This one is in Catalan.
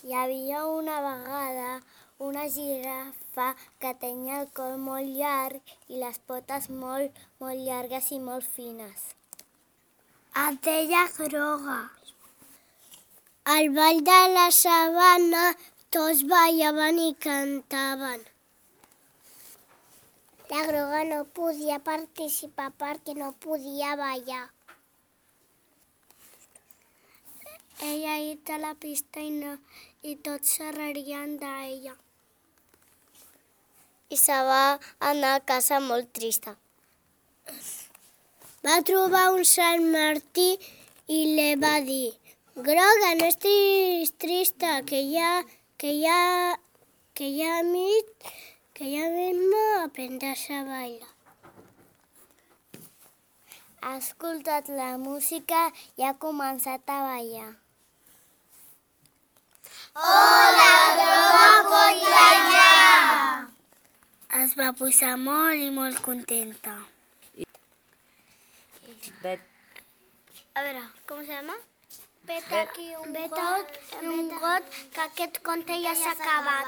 Hi havia una vegada una girafa que tenia el coll molt llarg i les potes molt, molt llargues i molt fines. Es deia Groga. Al ball de la sabana tots ballaven i cantaven. La Groga no podia participar perquè no podia ballar. Ella a la pista i tots se rarien d'ella. I se va anar a casa molt trista. Va trobar un Sant Martí i li va dir: Groga, no estiguis trista, que ya mismo aprenderàs a bailar. Ha escoltat la música i ha començat a ballar. La Groga pot ballar! Es va posar molt i molt contenta. A veure, com se llama? Vet aquí un got, que aquest conte ja s'ha acabat.